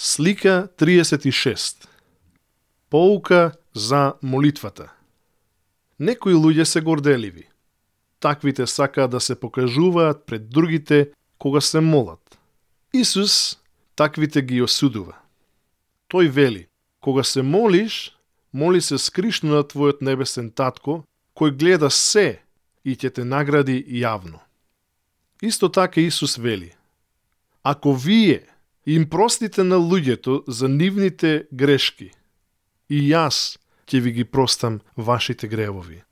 Слика 36. Поука за молитвата. Некои луѓе се горделиви. Таквите сакаат да се покажуваат пред другите кога се молат. Исус таквите ги осудува. Тој вели: кога се молиш, моли се скришно на твојот небесен татко, кој гледа се и ќе те награди јавно. Исто така Исус вели: ако вие им простите на луѓето за нивните грешки, и јас ќе ви ги простам вашите гревови.